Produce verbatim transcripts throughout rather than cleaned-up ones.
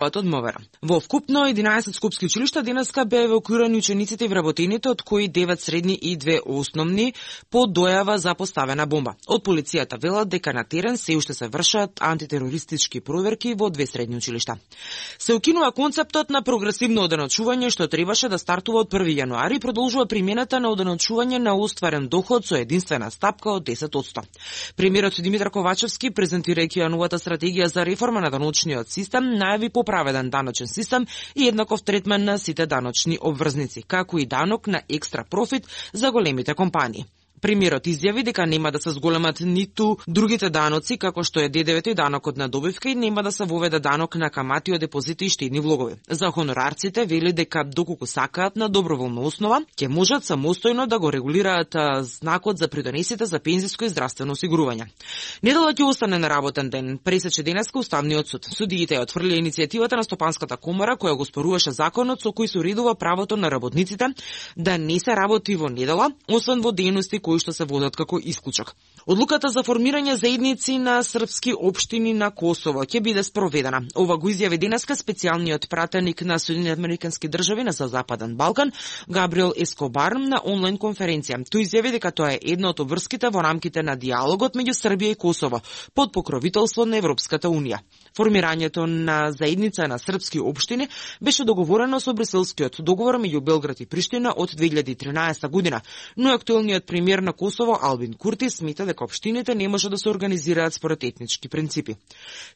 од МВР. Во вкупно единаесет скопски училишта денеска беа евакуирани учениците и вработените, од кои девет средни и две основни по дојава за поставена бомба. Од полицијата велат дека на терен се уште се вршат антитерористички проверки во две средни училишта. Се укинува концептот на прогресивно оденочување што требаше да стартува од први јануари и продолжува примената на оденочување на остварен доход со единствена стапка од десет одсто. Премиерот Димитар Ковачевски, презентирајќи новата стратегија за реформа на даночниот систем, најави поправеден даночен систем и еднаков третман на сите даночни обврзници, како и данок на екстра профит за големите компании. Премиерот изјави дека нема да се зголемат ниту другите даноци, како што е Д Д В-то и данокот на добивка, и нема да се воведе данок на камати од депозити и штедни влогови. За хонорарците вели дека доколку сакаат на доброволна основа, ќе можат самостојно да го регулираат знакот за придонесите за пензиско и здравствено осигурување. Недела ќе остане на работен ден, пресече денеска Уставниот суд. Судиите ја отфрлија иницијативата на Стопанската комора која го споруваше законот со кој се уредува правото на работниците да не се работи во недела, освен во дејности кои што се водат како исклучок. Одлуката за формирање заедници на српски општини на Косово ќе биде спроведена. Ова го изјави денеска специјалниот пратеник на Соединените американски држави на Западен Балкан, Габриел Ескобар, на онлайн конференција. Тој изјави дека тоа е една од обврските во рамките на диалогот меѓу Србија и Косово под покровителство на Европската унија. Формирањето на заедница на српски општини беше договорено со Брюселскиот договор меѓу Белград и Приштина од две илјади и тринаесета година, но актуелниот премиер на Косово Албин Курти смета дека општините не може да се организираат според етнички принципи.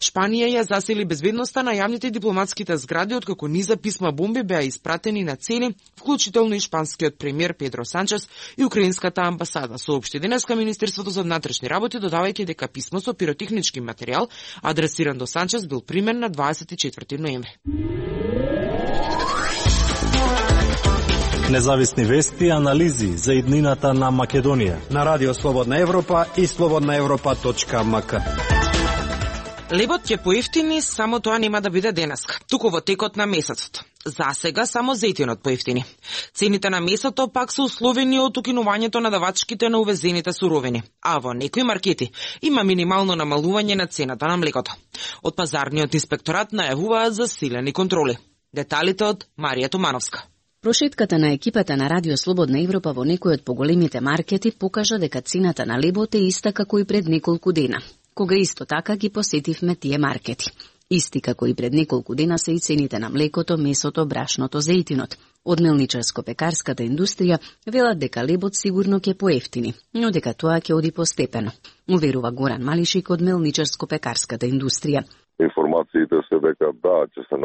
Шпанија ја засили безбедноста на јавните дипломатските згради, откако низа писма бомби беа испратени на цели, вклучително и шпанскиот премиер Педро Санчес и украинската амбасада. Соопшти денеска Министерството за внатрешни работи, додавајќи дека писмо со пиротехнички материјал адресиран до Санчес бил примен на дваесет и четврти ноември. Независни вести и анализи за иднината на Македонија на Радио Слободна Европа и слободна европа точка ем ка. Лебот ќе поевтини, само тоа нема да биде денеска, туку во текот на месецот. За сега само зејтинот поевтини. Цените на месото пак се условени од укинувањето на давачките на увезените суровини, а во некои маркети има минимално намалување на цената на млекото. Од пазарниот инспекторат најавуваат засилени контроли. Деталите од Марија Томановска. Прошетката на екипата на Радио Слободна Европа во некои од поголемите маркети покажа дека цената на лебот е иста како и пред неколку дена, кога исто така ги посетивме тие маркети. Исти како и пред неколку дена се и цените на млекото, месото, брашното, зејтинот. Од мелничарско-пекарската индустрија велат дека лебот сигурно ќе поевтини, но дека тоа ќе оди постепено, уверува Горан Малишик од мелничарско-пекарската индустрија. Информациите се дека да, ќе се